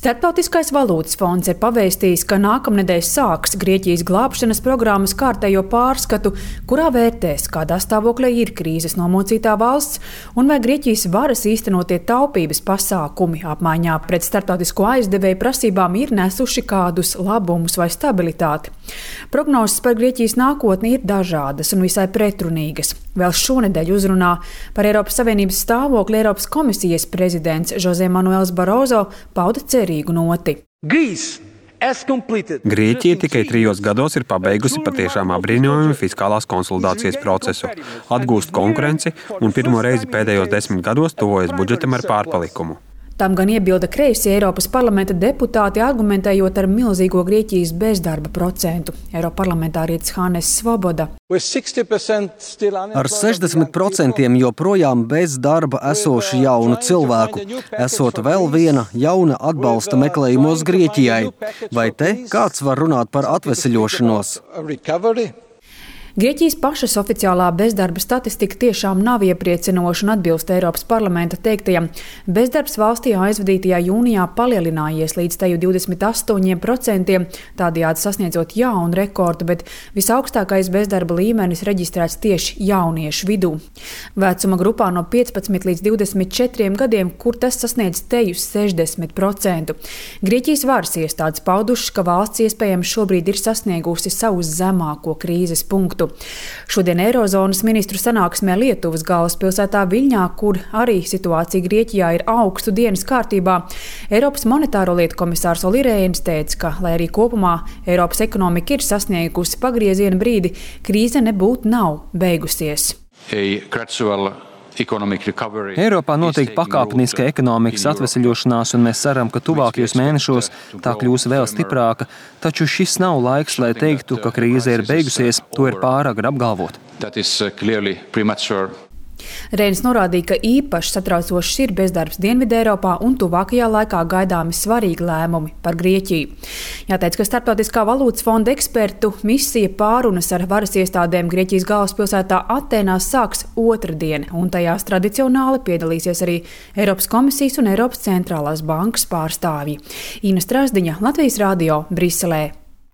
Starptautiskais valūtas fonds ir pavēstījis, ka nākamnedēļ sāks Grieķijas glābšanas programmas kārtējo pārskatu, kurā vērtēs, kādā stāvoklī ir krīzes nomocītā valsts un vai Grieķijas varas īstenotie taupības pasākumi apmaiņā pret starptautisko aizdevēju prasībām ir nesuši kādus labumus vai stabilitāti. Prognozes par Grieķijas nākotni ir dažādas un visai pretrunīgas. Vēl šonedēļ uzrunā par Eiropas Savienības stāvokli Eiropas komisijas prezidents José Manuels Barroso pauda cerīgu noti. Grieķija tikai 3 gados ir pabeigusi patiešām apbrīnojumu fiskālās konsolidācijas procesu, atgūst konkurenci un pirmo reizi pēdējos 10 gados tuvojas budžetam ar pārpalikumu. Tam gan iebilda kreisie Eiropas parlamenta deputāti, argumentējot ar milzīgo Grieķijas bezdarba procentu. Eiroparlamentārietis Hannes Svoboda. Ar 60% joprojām bez darba esošu jaunu cilvēku, esot vēl viena jauna atbalsta meklējumos Grieķijai. Vai te kāds var runāt par atveseļošanos? Grieķijas pašas oficiālā bezdarba statistika tiešām nav iepriecinoša un atbilst Eiropas parlamenta teiktajam. Bezdarbs valstī aizvadītajā jūnijā palielinājies līdz teju 28%, tādējādi sasniedzot jaunu rekordu, bet visaugstākais bezdarba līmenis reģistrēts tieši jauniešu vidū. Vecuma grupā no 15 līdz 24 gadiem, kur tas sasniedz teju 60%. Grieķijas varas iestādes paudušas, ka valsts iespējams šobrīd ir sasniegusi savu zemāko krīzes punktu. Šodien Eirozonas ministru sanāksmē Lietuvas galvaspilsētā Viļņā, kur arī situācija Grieķijā ir augstu dienas kārtībā, Eiropas monetāro lietu komisārs Olli Rehns teica, ka, lai arī kopumā Eiropas ekonomika ir sasniegusi pagrieziena brīdi, krīze nebūtu nav beigusies. Eiropā notiek pakāpeniska ekonomikas atveseļošanās, un mēs ceram, ka tuvākajos mēnešos tā kļūs vēl stiprāka, taču šis nav laiks, lai teiktu, ka krīze ir beigusies, to ir pāragri apgalvot. Rehns norādīja, ka īpaši satraucošs ir bezdarbs Dienvideiropā un tuvākajā laikā gaidāmi svarīgi lēmumi par Grieķiju. Jāteic, ka Starptautiskā valūtas fonda ekspertu misija pārunas ar varas iestādēm Grieķijas galvaspilsētā Atēnās sāks otrdien, un tajās tradicionāli piedalīsies arī Eiropas komisijas un Eiropas centrālās bankas pārstāvji. Ina Strasdiņa, Latvijas radio, Briselē.